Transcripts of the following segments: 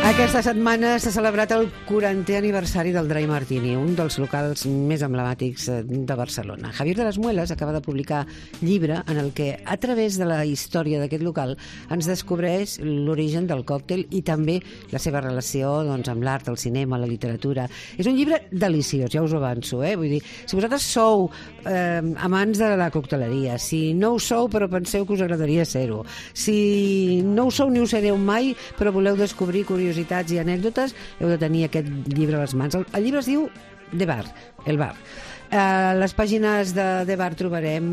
Aquesta setmana s'ha celebrat el 40è aniversari del Dry Martini, un dels locals més emblemàtics de Barcelona. Javier de las Muelas acaba de publicar llibre en el que, a través de la història d'aquest local, ens descobreix l'origen del còctel i també la seva relació amb l'art, el cinema, la literatura. És un llibre deliciós, ja us ho avanço. Vull dir, si vosaltres sou amants de la cocteleria, si no ho sou però penseu que us agradaria ser-ho, si no ho sou ni ho sereu mai però voleu descobrir curiositats i anècdotes, heu de tenir aquest llibre a les mans. El llibre es diu The Bar, el bar. A les pàgines de The Bar trobarem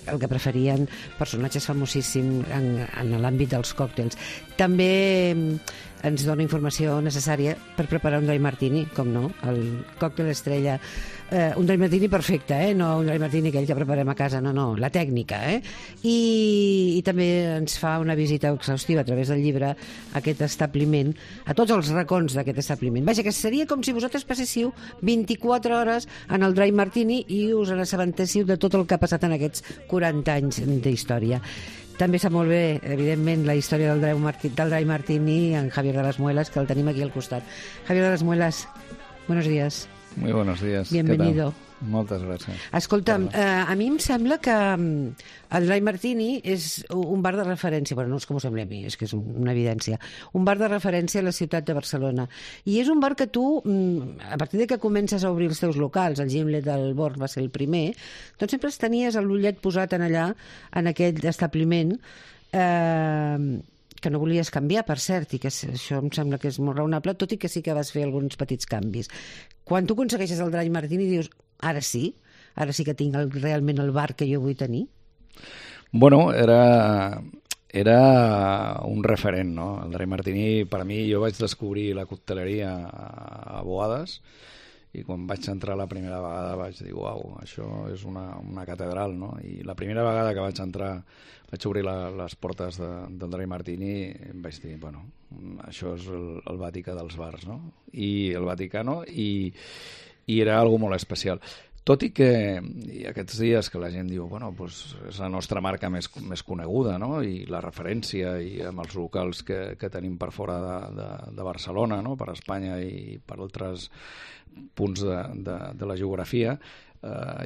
el que preferien personatges famosíssims en l'àmbit dels còctels. També ens dona informació necessària per preparar un Dry Martini, com no, el còctel estrella, un Dry Martini perfecte, no un Dry Martini aquell que preparem a casa, no, la tècnica, I també ens fa una visita exhaustiva a través del llibre a aquest establiment, a tots els racons d'aquest establiment. Vaja, que seria com si vosaltres passéssiu 24 hores en el Dry Martini i us assabentéssiu de tot el que ha passat en aquests 40 anys d'història. També sap molt bé, evidentment, la història del Dry Martini en Javier de las Muelas, que el tenim aquí al costat. Javier de las Muelas, buenos días. Muy buenos días. Bienvenido. Moltes gràcies. Escolta'm, a mi em sembla que el Dry Martini és un bar de referència, bueno, no és com ho sembla a mi, és que és una evidència, un bar de referència a la ciutat de Barcelona. I és un bar que tu, a partir de que comences a obrir els teus locals, el Gimlet del Born va ser el primer, doncs sempre tenies l'ullet posat en allà, en aquell establiment, que no volies canviar, per cert, i que això em sembla que és molt raonable, tot i que sí que vas fer alguns petits canvis. Quan tu aconsegueixes el Dry Martini dius, ara sí que tinc realment el bar que jo vull tenir? Bueno, era un referent, no? El Dry Martini, per mi, jo vaig descobrir la cocteleria a Boades i quan vaig entrar la primera vegada vaig dir, uau, això és una catedral, no? I la primera vegada que vaig entrar, vaig obrir les portes del Dry Martini i em vaig dir, bueno, això és el Vaticà dels bars, no? I el Vaticano, i era algo molt especial. Tot i que aquests dies que la gent diu, bueno, doncs és la nostra marca més coneguda, no? I la referència i amb els locals que tenim per fora de Barcelona, no? Per Espanya i per altres punts de la geografia,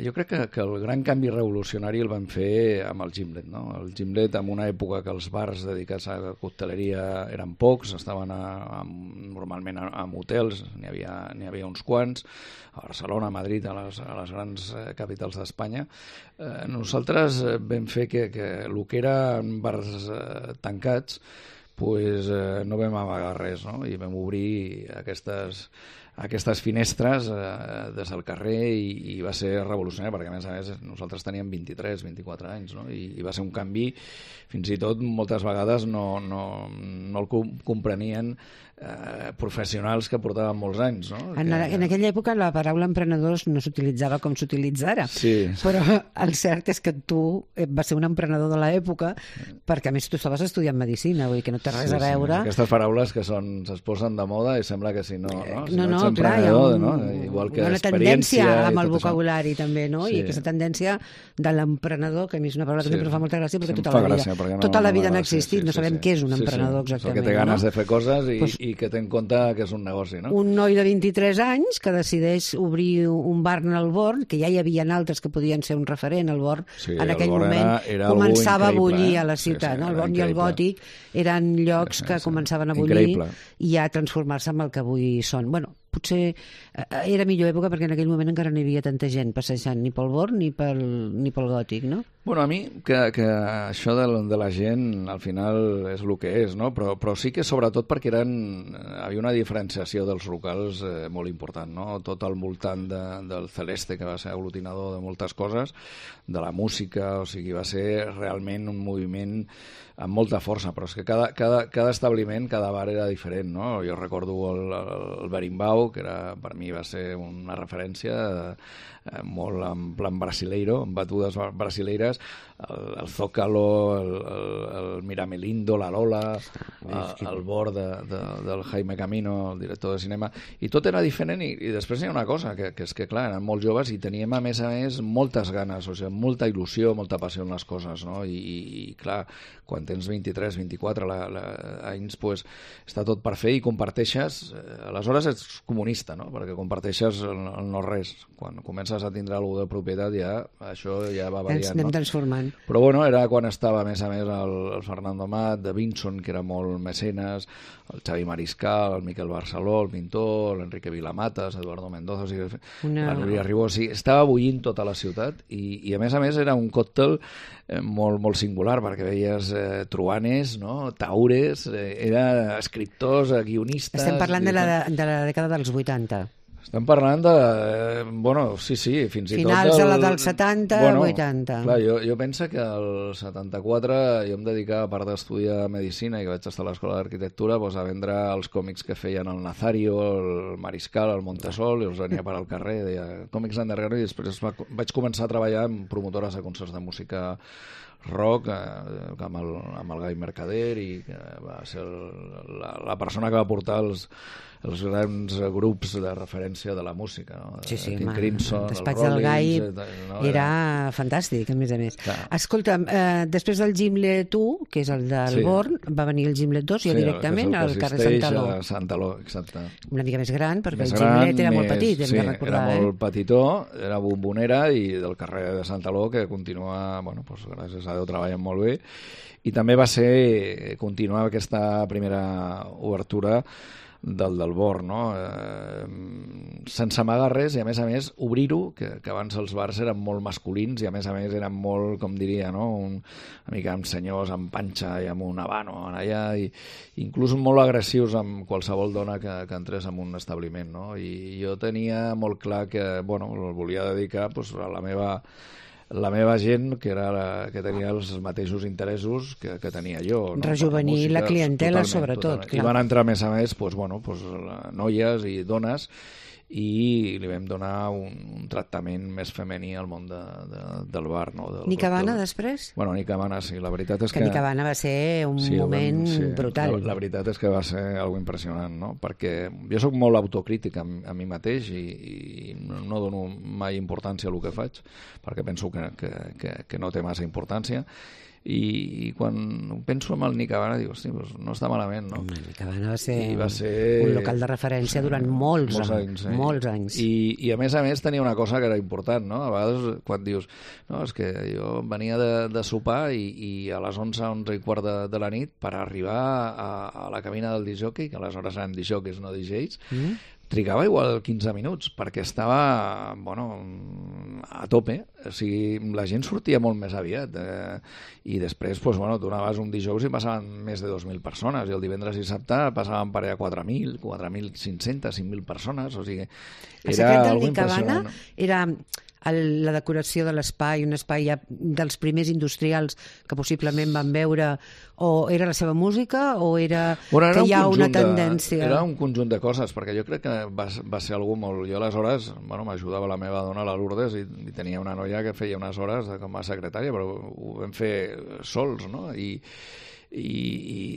jo crec que el gran canvi revolucionari el van fer amb el Gimlet, no? El Gimlet, en una època que els bars dedicats a la cocteleria eren pocs, estaven normalment en hotels, n'hi havia uns quants, a Barcelona, a Madrid, a les grans capitals d'Espanya. Nosaltres vam fer que el que eren bars tancats no vam amagar res, no? I vam obrir aquestes finestres des del carrer i va ser revolucionari perquè a més nosaltres teníem 23-24 anys, no? I va ser un canvi, fins i tot moltes vegades no el comprenien professionals que portaven molts anys, no? En aquella època la paraula emprenedors no s'utilitzava com s'utilitza ara, sí. Però el cert és que tu vas ser un emprenedor de l'època perquè a més tu estaves estudiant medicina, vull dir que no té res a veure. Sí. Aquestes paraules que es posen de moda i sembla que si no no, ets clar, hi ha igual que una tendència amb el tot vocabulari això. També, no? Sí. I aquesta tendència de l'emprenedor, que a mi és una paraula que sempre fa molta gràcia perquè tota la vida n'ha existit, no sabem què és un emprenedor exactament. Que té ganes de fer coses i que té en compte que és un negoci, no? Un noi de 23 anys que decideix obrir un bar en el Born, que ja hi havia altres que podien ser un referent, el Born en aquell moment començava a bullir a la ciutat, no? El Born i el Gòtic eren llocs que començaven a bullir i a transformar-se en el que avui són. Bueno, potser era millor època perquè en aquell moment encara no hi havia tanta gent passejant ni pel Born ni pel Gòtic, no? Bueno, a mi que això de la gent al final és el que és, no? Però sí que sobretot perquè havia una diferenciació dels locals molt important, no? Tot al voltant del Celeste, que va ser aglutinador de moltes coses, de la música, o sigui, va ser realment un moviment amb molta força, però és que cada establiment, cada bar era diferent, no? Jo recordo el Berimbau, que per mi va ser una referència molt en plan brasileiro, amb batudes brasileires. el Zócalo, el Miramelindo, la Lola, el bord del Jaime Camino, el director de cinema, i tot era diferent, i després hi ha una cosa, que és que, clar, eren molt joves i teníem, a més, moltes ganes, o sigui, molta il·lusió, molta passió en les coses, no? I clar, quan tens 23, 24 anys, pues, està tot per fer i comparteixes, aleshores ets comunista, no? Perquè comparteixes el no res. Quan comences a tindre alguna de propietat, ja això ja va variant, ens anem transformant. Però bueno, era quan estava, a més, el Fernando Amat, de Vinson, que era molt mecenes, el Xavi Mariscal, el Miquel Barceló, el pintor, l'Enrique Vilamatas, Eduardo Mendoza, o sigui, la Núria Ribó, o sigui, estava bullint tota la ciutat i a més, era un còctel molt, molt singular, perquè veies truanes, no? Taures, escriptors, guionistes... Estem parlant de la dècada dels 80. Estem parlant de... Bueno, sí, fins i tot... Finals dels 70, 80. Clar, jo penso que al 74 jo em dedicava, a part d'estudiar Medicina i que vaig estar a l'Escola d'Arquitectura, a vendre els còmics que feien el Nazario, el Mariscal, el Montesol, i els venia per al carrer, deia còmics underground, i després vaig començar a treballar amb promotores de concerts de música rock, amb el Gai Mercader, i que va ser la persona que va portar els grans grups de referència de la música, no? Sí, King Crimson, el despatx del Gai era fantàstic, a més a més. Escolta'm, després del Gimlet 1, que és el del Born, va venir el Gimlet 2 ja directament al carrer Santaló. Santaló, exacte. Una mica més gran, perquè el Gimlet era molt petit, hem de recordar. Era molt petitó, era bombonera, i del carrer de Santaló, que continua, bueno, gràcies a Déu, treballen molt bé, i també va ser continuar aquesta primera obertura del Born, no? Sense amagar res, i a més obrir-ho, que abans els bars eren molt masculins i a més eren molt, com diria, no? Una mica amb senyors amb panxa i amb un habano allà, i inclús molt agressius amb qualsevol dona que entrés en un establiment, no? I jo tenia molt clar que, bueno, el volia dedicar a la meva gent, que tenia els mateixos interessos que tenia jo. No? Rejuvenir la clientela, sobretot. I van entrar, a més, noies i dones, i li vam donar un tractament més femení al món del bar. No? Nick Havana, després? Bueno, Nick Havana, sí. La veritat és que Nick Havana va ser un moment brutal. La veritat és que va ser algo impressionant, no? Perquè jo sóc molt autocrític a mi mateix i no dono mai importància a el que faig, perquè penso que no té massa importància. I quan penso en el Nick Havana dic, hosti, no està malament, no? Nick Havana va ser un local de referència durant molts anys. I a més tenia una cosa que era important, no? A vegades quan dius, no, és que jo venia de sopar i a les 11 i quart de la nit per arribar a la cabina del discjòquei, que aleshores eren discjòqueis, no DJs, trigava igual 15 minuts, perquè estava, a tope. O sigui, la gent sortia molt més aviat. I després, donaves un dijous i passaven més de 2.000 persones, i el divendres i dissabte passaven per allà 4.000, 4.500, 5.000 persones. O sigui, era algo impressionant. Era la decoració de l'espai, un espai ja dels primers industrials que possiblement van veure, o era la seva música, o era que hi ha una tendència? Era un conjunt de coses, perquè jo crec que va ser algú molt... Jo aleshores, m'ajudava la meva dona, la Lourdes, i tenia una noia que feia unes hores com a secretària, però ho vam fer sols, no? I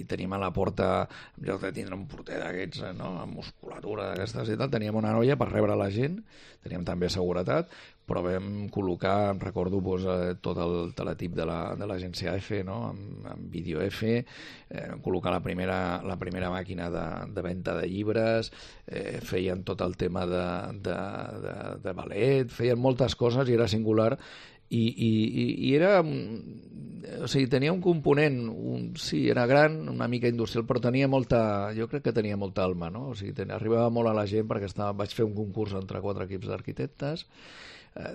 tenim a la porta, en lloc de tindre un porter d'aquests, no? Amb musculatura d'aquestes i tal, teníem una noia per rebre la gent, teníem també seguretat, però vam col·locar, em recordo, tot el teletip de l'agència F, no? Amb vídeo F, col·locar la primera màquina de venda de llibres, feien tot el tema de ballet, feien moltes coses i era singular. I era, o sigui, tenia un component, sí, era gran, una mica industrial, però jo crec que tenia molta alma, no? O sigui, arribava molt a la gent, perquè vaig fer un concurs entre 4 equips d'arquitectes,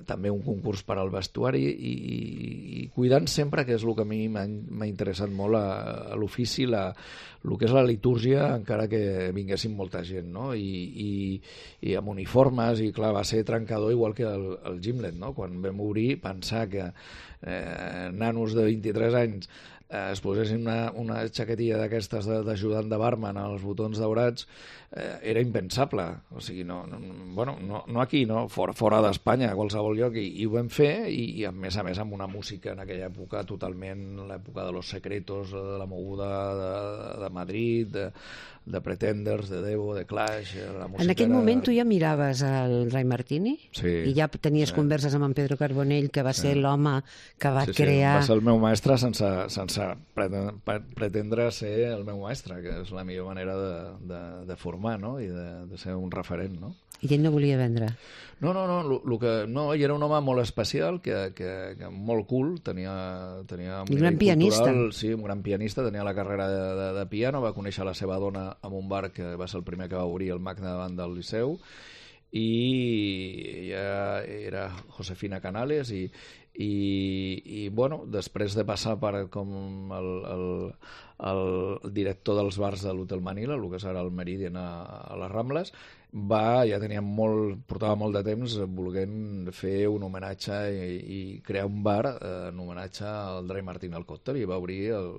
també un concurs per al vestuari, i cuidant sempre, que és el que a mi m'ha interessat molt, a l'ofici, el que és la litúrgia, encara que vinguessin molta gent, no? I amb uniformes, i clar, va ser trencador igual que el Gimlet, no? Quan vam obrir, pensar que nanos de 23 anys es posessin una xaquetilla d'aquestes d'ajudant de barman als botons daurats, era impensable. O sigui, no aquí, no? Fora d'Espanya, a qualsevol lloc, i ho vam fer, i a més amb una música en aquella època totalment, l'època de Los Secretos, de la moguda de Madrid, de Pretenders, de Devo, de Clash... En aquell moment tu ja miraves el Ray Martini? Sí. I ja tenies converses amb en Pedro Carbonell, que va ser l'home que va crear... Va ser el meu mestre sense pretendre ser el meu mestre, que és la millor manera de formar, no? I de ser un referent, no? I ell no volia vendre? No, ell era un home molt especial, que molt cool, tenia un gran pianista. Cultural, sí, un gran pianista, tenia la carrera de piano, va conèixer la seva dona en un bar que va ser el primer que va obrir el Magna davant del Liceu, i ella era Josefina Canales, i bueno, després de passar per com el director dels bars de l'Hotel Manila, el que serà el Meridian a les Rambles, portava molt de temps volent fer un homenatge i crear un bar en homenatge al Dry Martini al còctel, i va obrir el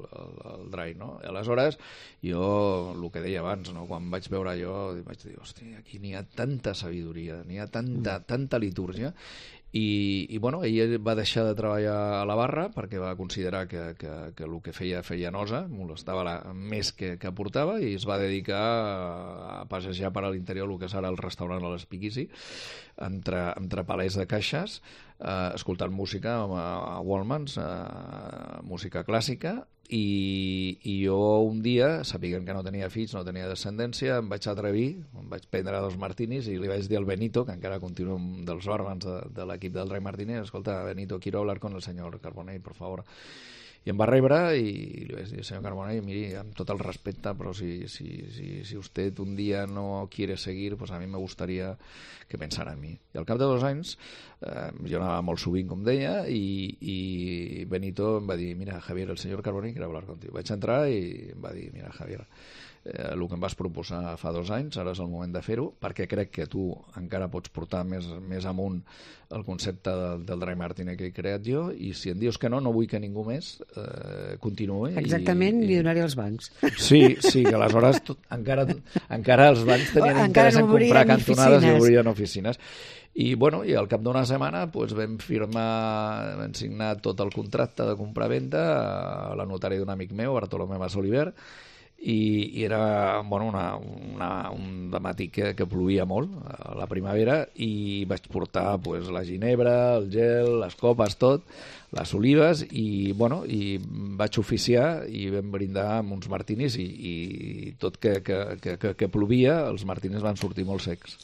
Dry, no? I aleshores, jo, el que deia abans, no? Quan vaig veure allò, vaig dir, hòstia, aquí n'hi ha tanta sabidoria, n'hi ha tanta litúrgia, i bueno, ell va deixar de treballar a la barra perquè va considerar que el que feia nosa, molestava més que aportava, i es va dedicar a passejar per a l'interior el que serà el restaurant a l'Espiguisi, entre palers de caixes, escoltant música a Wallmans, música clàssica, i jo un dia, sapiguent que no tenia fills, no tenia descendència, em vaig atrevir, em vaig prendre 2 martinis i li vaig dir al Benito, que encara continua un dels barmans de l'equip del Dry Martini, escolta, Benito, quiero hablar con el señor Carbonell, por favor. I em va rebre i li vaig dir, senyor Carbonell, miri, amb tot el respecte, però si usted un dia no quiere seguir, pues a mí me gustaría que pensara en mi. I al cap de 2 anys, jo anava molt sovint, com deia, i Benito em va dir, mira, Javier, el senyor Carbonell quiere hablar contigo. Vaig entrar i em va dir, mira, Javier, el que em vas proposar fa 2 anys, ara és el moment de fer-ho, perquè crec que tu encara pots portar més amunt el concepte del Dry Martini que he creat jo, i si em dius que no vull que ningú més continuï. Exactament, li donaré els bancs. Sí, que aleshores encara els bancs tenien interès en comprar cantonades i obrien oficines. I al cap d'una setmana vam signar tot el contracte de compra-venda a la notària d'un amic meu, Bartolomé Mas Oliver, i era un dematí que plovia molt a la primavera, i vaig portar la ginebra, el gel, les copes, tot, les olives, i vaig oficiar i vam brindar amb uns martinis, i tot que plovia, els martinis van sortir molt secs.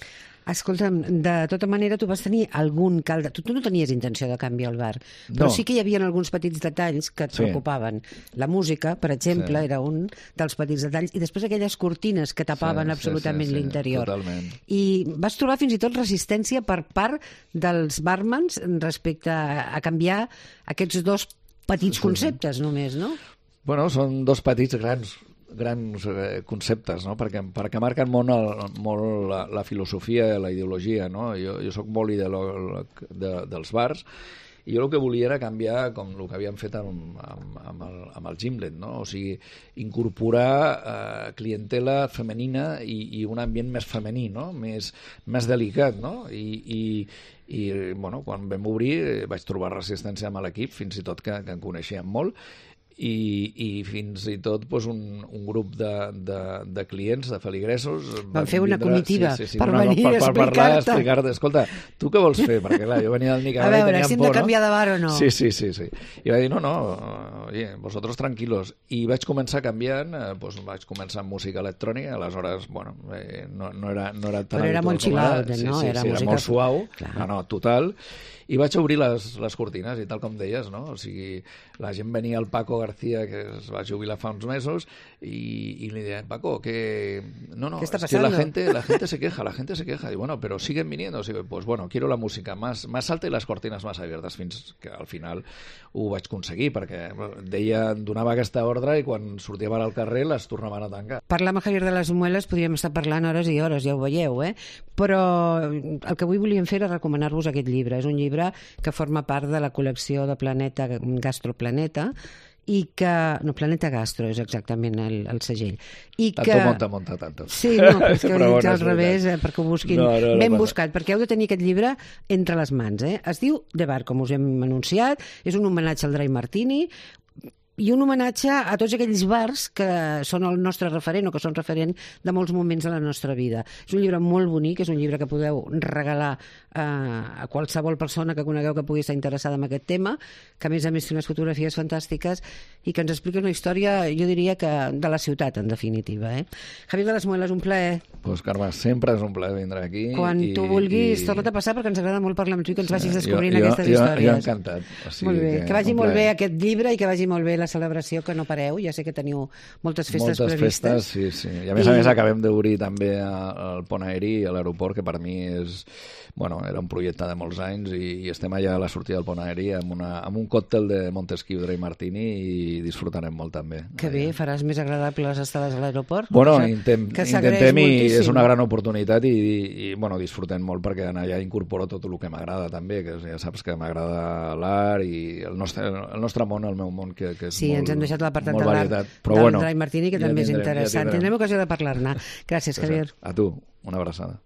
Escolta'm, de tota manera tu vas tenir algun calde... Tu no tenies intenció de canviar el bar, però sí que hi havia alguns petits detalls que et preocupaven. La música, per exemple, era un dels petits detalls, i després aquelles cortines que tapaven absolutament l'interior. Totalment. I vas trobar fins i tot resistència per part dels barmans respecte a canviar aquests 2 petits conceptes només, no? Bueno, són 2 petits grans conceptes, no? perquè marquen molt la filosofia i la ideologia, no? Jo soc molt ideològic dels bars, i jo el que volia era canviar com el que havíem fet amb el Gimlet, no? O sigui, incorporar clientela femenina i un ambient més femení, no? més delicat, no? I quan vam obrir vaig trobar resistència amb l'equip, fins i tot que en coneixíem molt, i fins i tot un grup de clients, de feligresos van fer una comitiva per venir a explicar-te, escolta, tu què vols fer? Perquè clar, jo venia del Nicaragua, a veure, si hem de canviar de bar o no. Sí. I va dir, no, oye, vosotros tranquilos. I vaig començar canviant, vaig començar amb música electrònica, aleshores, no era tan habitual. Però era molt chill-out, no? Era molt suau, no, total. I vaig obrir les cortines, i tal com deies, no? O sigui, la gent venia al Paco García, que es va jubilar fa uns mesos, y le deien, Paco, que... No, ¿qué está es que pasando? la gente se queja. Y bueno, pero siguen viniendo. Pues bueno, quiero la música más alta y las cortinas más abiertas, fins que al final ho vaig aconseguir, perquè donava aquesta ordre i quan sortíem al carrer les tornaven a tancar. Parlar amb Javier de les Mueles podríem estar parlant hores i hores, ja ho veieu, però el que avui volíem fer era recomanar-vos aquest llibre. És un llibre que forma part de la col·lecció de Planeta, Gastroplaneta, i que... No, Planeta Gastro és exactament el segell. I que... Tanto monta tanto. Sí, no, però és que ho he dit al revés, perquè ho busquin ben buscat, perquè heu de tenir aquest llibre entre les mans. Es diu The Bar, com us hem anunciat, és un homenatge al Dry Martini, i un homenatge a tots aquells bars que són el nostre referent o que són referent de molts moments de la nostra vida. És un llibre molt bonic, és un llibre que podeu regalar a qualsevol persona que conegueu que pugui estar interessada en aquest tema, que a més té unes fotografies fantàstiques i que ens explica una història, jo diria que de la ciutat, en definitiva. Javier de les Muelas, un plaer. Pues, Carme, sempre és un plaer vindre aquí. Quan tu vulguis, torna't a passar, perquè ens agrada molt parlar amb tu i que ens vagis descobrint aquestes històries. Jo encantat. Molt bé, que vagi molt bé aquest llibre i que vagi molt bé la celebració, que no pareu, ja sé que teniu moltes festes previstes. Moltes festes, sí. I a més acabem d'obrir també el pont aeri a l'aeroport, que per mi és... Bueno, era un projecte de molts anys i estem allà a la sortida del pont aeri amb un còctel de Montesquieu Dry Martini i disfrutarem molt també. Que bé, faràs més agradable les estades a l'aeroport? Bueno, intentem i és una gran oportunitat i bueno, disfrutem molt perquè allà incorporo tot el que m'agrada també, que ja saps que m'agrada l'art i el nostre món, el meu món, que és sí, molt, ens hem deixat l'apartat de l'art del Dry Martini, que també és interessant. Tindrem ocasió de parlar-ne. Gràcies, Javier. A tu, una abraçada.